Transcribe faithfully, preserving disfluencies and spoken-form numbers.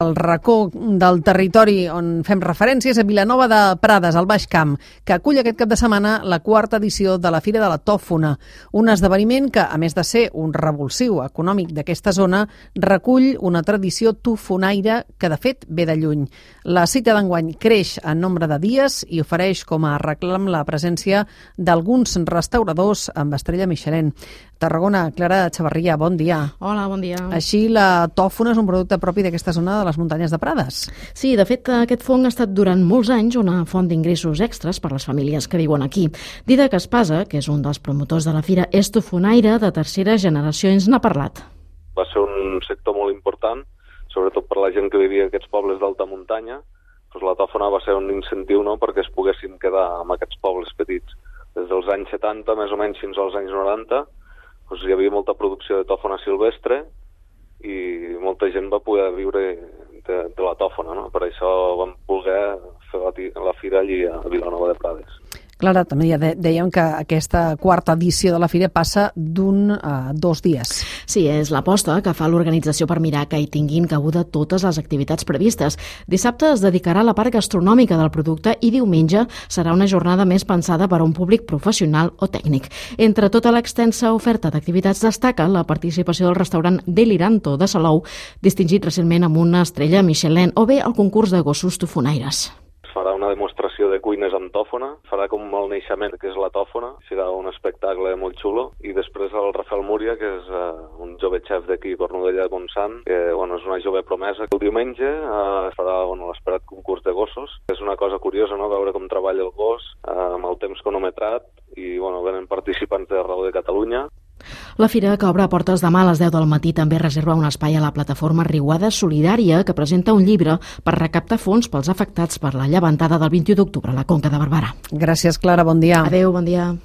El racó del territori on fem referències a Vilanova de Prades, al Baix Camp, que acull aquest cap de setmana la quarta edició de la Fira de la Tòfona, un esdeveniment que, a més de ser un revulsiu econòmic d'aquesta zona, recull una tradició tofonaire que, de fet, ve de lluny. La cita d'enguany creix en nombre de dies i ofereix com a reclam la presència d'alguns restauradors amb estrella Michelin. Tarragona, Clara Chavarria, bon dia. Hola, bon dia. Així, la tòfona és un producte propi d'aquesta zona de les muntanyes de Prades. Sí, de fet, aquest fong ha estat durant molts anys una font d'ingressos extras per a les famílies que viuen aquí. Didac Espasa, que és un dels promotors de la fira, és tofonaire de tercera generació, ens n'ha parlat. Va ser un sector molt important, sobretot per la gent que vivia en aquests pobles d'alta muntanya. Doncs la tòfona va ser un incentiu, no?, perquè es poguessin quedar en aquests pobles petits. Des dels anys setanta, més o menys, fins als anys noranta, doncs hi havia molta producció de tòfona silvestre i molta gent va poder viure de, de la tòfona, no? Per això vam voler fer la, la fira allí a Vilanova de Prades. Clara, també ja dèiem que aquesta quarta edició de la fira passa d'un a dos dies. Sí, és l'aposta que fa l'organització per mirar que hi tinguin cabuda totes les activitats previstes. Dissabte es dedicarà a la part gastronòmica del producte i diumenge serà una jornada més pensada per a un públic professional o tècnic. Entre tota l'extensa oferta d'activitats destaca la participació del restaurant Deliranto de Salou, distingit recentment amb una estrella Michelin, o bé el concurs de gossos tofonaires. Farà una demostració de cuines amb tòfona, farà com el naixement, que és la tòfona, serà un espectacle molt xulo, i després el Rafael Múria, que és uh, un jove xef d'aquí, Cornudella de Montsant, que bueno, és una jove promesa. El diumenge uh, farà bueno, l'esperat concurs de gossos. És una cosa curiosa, no?, veure com treballa el gos uh, amb el temps cronometrat, i bueno, venen participants d'arreu de Catalunya. La fira, que obre a portes demà a les deu del matí, també reserva un espai a la plataforma Riuada Solidària, que presenta un llibre per recaptar fons pels afectats per la llevantada del vint-i-u d'octubre a la Conca de Barberà. Gràcies, Clara, bon dia. Adéu, bon dia.